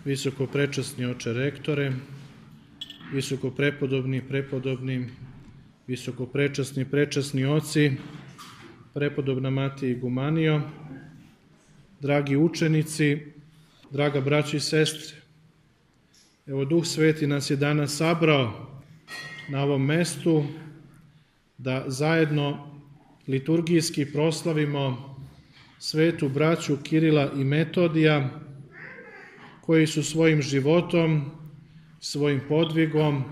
visokoprečasni oče rektore, visokoprepodobni, visokoprečasni prečasni oci, prepodobna mati Igumanio, dragi učenici, draga braća i sestre. Evo, Duh Sveti nas je danas sabrao na ovom mestu da zajedno liturgijski proslavimo svetu braću Kirila i Metodija, koji su svojim životom, svojim podvigom,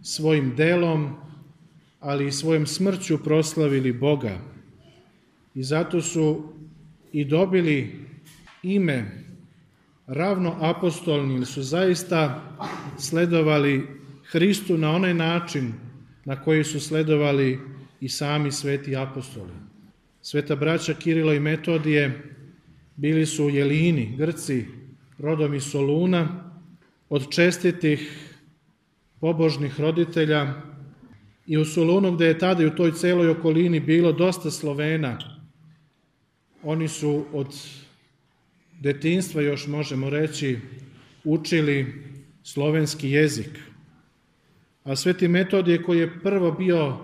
svojim delom, ali i svojom smrću proslavili Boga. I zato su i dobili ime ravnoapostolni, ili su zaista sledovali Hristu na onaj način na koji su sledovali i sami sveti apostoli. Sveta braća Kirilo i Metodije bili su Jelini, Grci, rodom iz Soluna, od čestitih pobožnih roditelja, i u Solunu, gde je tada i u toj celoj okolini bilo dosta Slovena, oni su od detinjstva, još možemo reći, učili slovenski jezik. A sveti Metodije, koji je prvo bio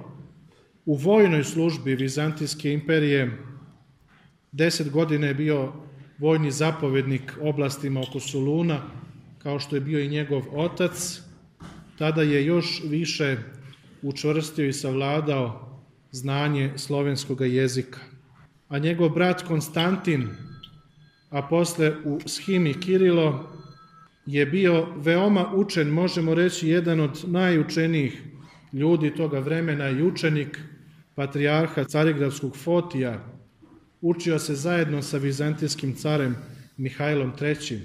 u vojnoj službi Vizantijske imperije, 10 godina je bio vojni zapovednik oblastima oko Soluna, kao što je bio i njegov otac, tada je još više učvrstio i savladao znanje slovenskog jezika. A njegov brat Konstantin, a posle u Shimi Kirilo, je bio veoma učen, možemo reći jedan od najučenijih ljudi toga vremena i učenik patrijarha Carigradskog Fotija. Učio se zajedno sa vizantijskim carem Mihajlom III,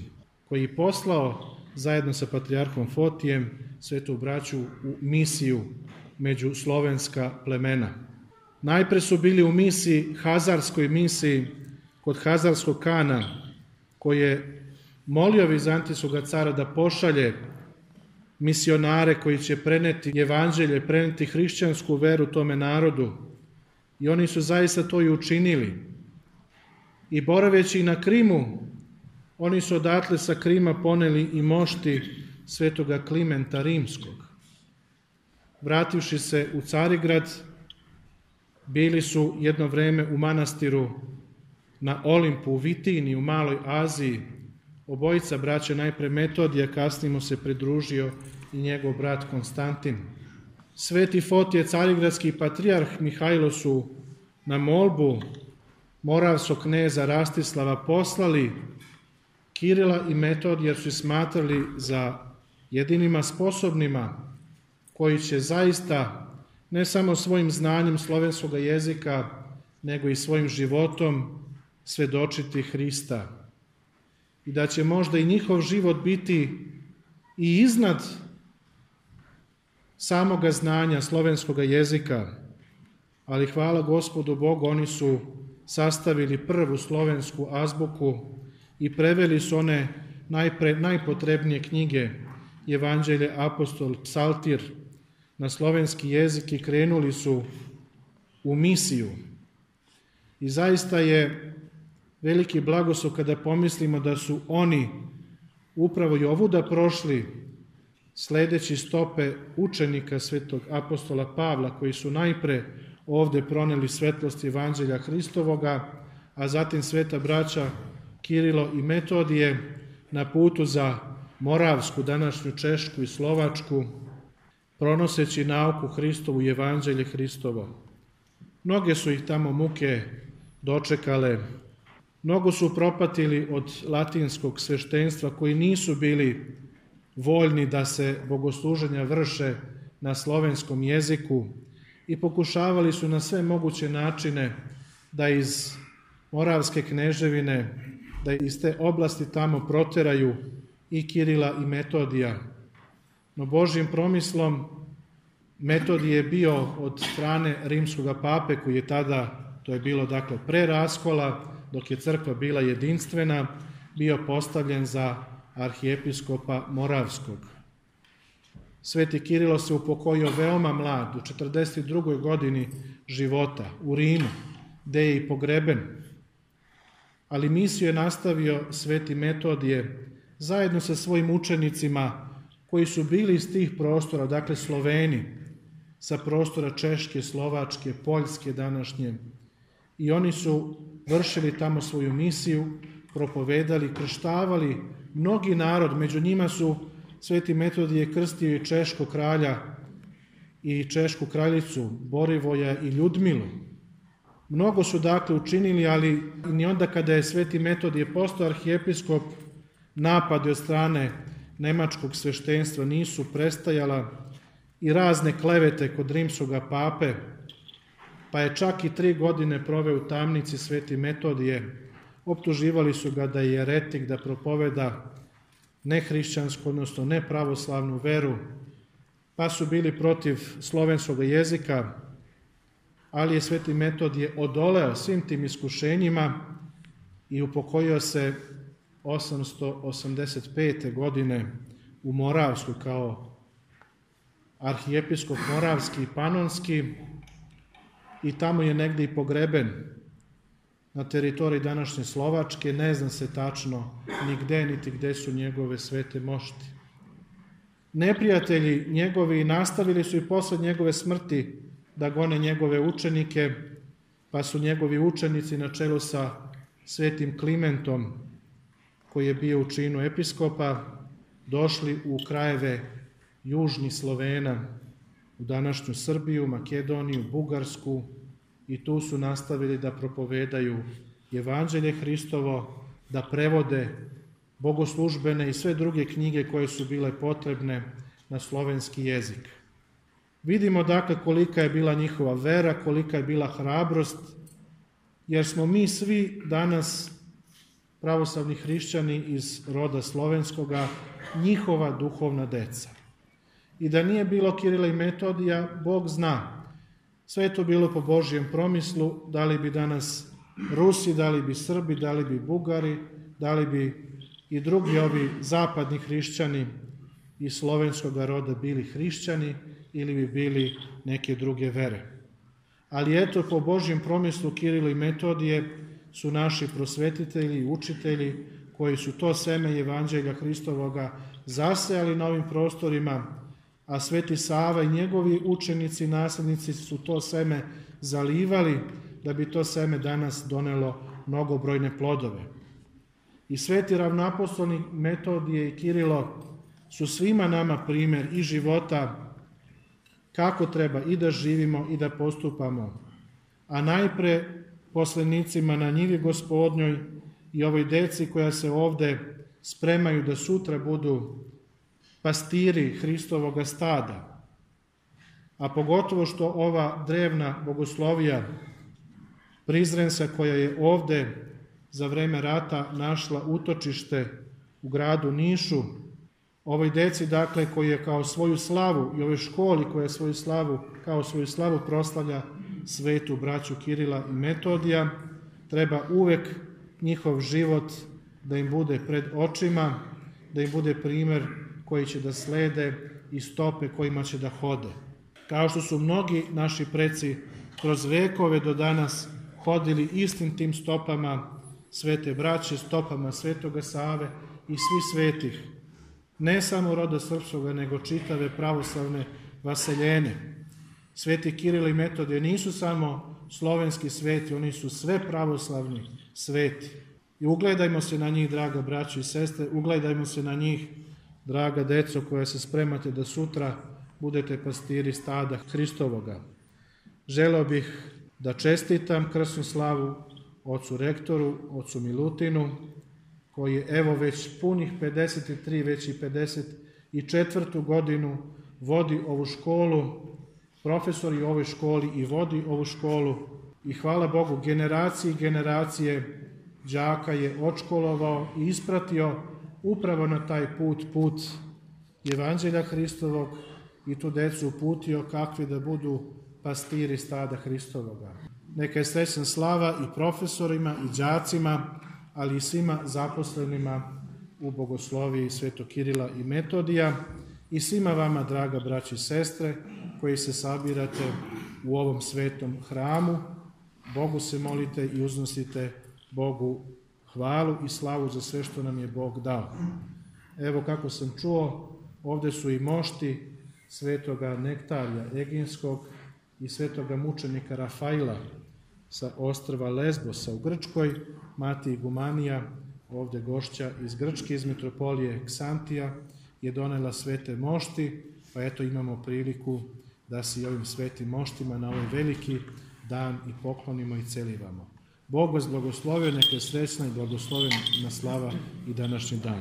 koji je poslao zajedno sa patrijarhom Fotijem svetu braću u misiju među slovenska plemena. Najpre su bili u misiji, hazarskoj misiji, kod hazarskog kana, koji je molio vizantijskog cara da pošalje misionare koji će preneti evanđelje, preneti hrišćansku veru tome narodu. I oni su zaista to i učinili. I boraveći na Krimu, oni su odatle sa Krima poneli i mošti svetoga Klimenta Rimskog. Vrativši se u Carigrad, bili su jedno vreme u manastiru na Olimpu, u Vitini, u Maloj Aziji. Obojica braća, najpre Metodija, kasnije mu se pridružio i njegov brat Konstantin. Sveti Fotije, carigradski patrijarh Mihajlo su na molbu moravskog kneza Rastislava poslali Kirila i Metodija, jer su smatrali za jedinima sposobnima koji će zaista ne samo svojim znanjem slovenskog jezika, nego i svojim životom svedočiti Hrista. I da će možda i njihov život biti i iznad samoga znanja slovenskog jezika, ali hvala Gospodu Bogu, oni su sastavili prvu slovensku azbuku i preveli su one najpotrebnije knjige, Evanđelje, Apostol, Psaltir, na slovenski jezik i krenuli su u misiju. I zaista je veliki blagoslov kada pomislimo da su oni upravo i ovuda prošli sledeći stope učenika svetog apostola Pavla, koji su najpre ovde proneli svetlost Evanđelja Hristovoga, a zatim sveta braća Kirilo i Metodije na putu za Moravsku, današnju Češku i Slovačku, pronoseći nauku Hristovu i Evanđelje Hristovo. Mnoge su ih tamo muke dočekale, mnogo su propatili od latinskog sveštenstva, koji nisu bili voljni da se bogosluženja vrše na slovenskom jeziku i pokušavali su na sve moguće načine da iz Moravske kneževine, da iz te oblasti tamo proteraju i Kirila i Metodija. No Božjim promislom Metodije je bio od strane rimskog pape, koji je tada, to je bilo dakle pre raskola, dok je crkva bila jedinstvena, bio postavljen za arhijepiskopa Moravskog. Sveti Kirilo se upokojio veoma mlad, u 42. godini života, u Rimu, gde je i pogreben. Ali misiju je nastavio sveti Metodije zajedno sa svojim učenicima koji su bili iz tih prostora, dakle Sloveni, sa prostora Češke, Slovačke, Poljske današnje. I oni su vršili tamo svoju misiju, propovedali, krštavali mnogi narod. Među njima su Sveti Metodije krstio i češkog kralja i češku kraljicu Borivoja i Ljudmilu. Mnogo su dakle učinili, ali ni onda kada je Sveti Metodije postao arhijepiskop, napadi od strane nemačkog sveštenstva nisu prestajala i razne klevete kod rimskog pape, pa je čak i 3 godine proveo u tamnici Sveti Metodije. Optuživali su ga da je jeretik, da propoveda nehrišćansku, odnosno nepravoslavnu veru, pa su bili protiv slovenskog jezika, ali je Sveti Metodije odoleo svim tim iskušenjima i upokojio se 885. godine u Moravsku kao arhijepiskop Moravski i Panonski i tamo je negdje i pogreben na teritoriji današnje Slovačke. Ne zna se tačno ni gde, niti gde su njegove svete mošti. Neprijatelji njegovi nastavili su i posle njegove smrti da gone njegove učenike, pa su njegovi učenici na čelu sa Svetim Klimentom, koji je bio u činu episkopa, došli u krajeve južnih Slovena, u današnju Srbiju, Makedoniju, Bugarsku, i tu su nastavili da propovedaju Evanđelje Hristovo, da prevode bogoslužbene i sve druge knjige koje su bile potrebne na slovenski jezik. Vidimo dakle kolika je bila njihova vera, kolika je bila hrabrost, jer smo mi svi danas pravoslavni hrišćani iz roda slovenskoga, njihova duhovna deca. I da nije bilo Kirila i Metodija, Bog zna, sve je to bilo po Božjem promislu, da li bi danas Rusi, da li bi Srbi, da li bi Bugari, da li bi i drugi ovi zapadni hrišćani iz slovenskog roda bili hrišćani ili bi bili neke druge vere. Ali eto, po Božjem promislu Kirilo i Metodije su naši prosvetitelji i učitelji koji su to seme Evanđelja Hristovoga zasejali na ovim prostorima, a Sveti Sava i njegovi učenici i naslednici su to seme zalivali da bi to seme danas donelo mnogobrojne plodove. I sveti ravnoapostolni Metodije i Kirilo su svima nama primer i života kako treba i da živimo i da postupamo, a najpre poslenicima na njivi Gospodnjoj i ovoj deci koja se ovde spremaju da sutra budu pastiri Hristovoga stada, a pogotovo što ova drevna bogoslovija Prizrenska koja je ovde za vreme rata našla utočište u gradu Nišu, ovoj deci dakle koji je kao svoju slavu i ovoj školi koja kao svoju slavu proslavlja svetu braću Kirila i Metodija, treba uvek njihov život da im bude pred očima, da im bude primer koji će da slede i stope kojima će da hode. Kao što su mnogi naši preci kroz vekove do danas hodili istim tim stopama svete braće, stopama Svetoga Save i svi svetih, ne samo roda srpskoga, nego čitave pravoslavne vaseljene. Sveti Kiril i Metodije nisu samo slovenski sveti, oni su sve pravoslavni sveti. I ugledajmo se na njih, draga braćo i sestre, ugledajmo se na njih, draga deco koja se spremate da sutra budete pastiri stada Hristovoga. Želeo bih da čestitam krsnu slavu ocu rektoru, ocu Milutinu, koji je evo već punih 53, već i 54. godinu vodi ovu školu, profesor je u ovoj školi i vodi ovu školu i hvala Bogu generacije i generacije đaka je odškolovao i ispratio upravo na taj put Evanđelja Hristovog i tu decu uputio kakvi da budu pastiri stada Hristovoga. Neka je srećna slava i profesorima i đacima, ali i svima zaposlenima u bogosloviji Svetog Kirila i Metodija i svima vama, draga braći i sestre, koji se sabirate u ovom svetom hramu. Bogu se molite i uznosite Bogu hvalu i slavu za sve što nam je Bog dao. Evo kako sam čuo, ovdje su i mošti svetoga Nektarija Eginskog i svetoga mučenika Rafaila sa ostrva Lesbosa u Grčkoj, mati Igumanija, ovdje gošća iz Grčke, iz metropolije Ksantija, je donela svete mošti, pa eto imamo priliku da se i ovim svetim moštima na ovaj veliki dan i poklonimo i celivamo. Bog vas blagoslovio, neka je srećna i blagoslovena slava i današnji dan.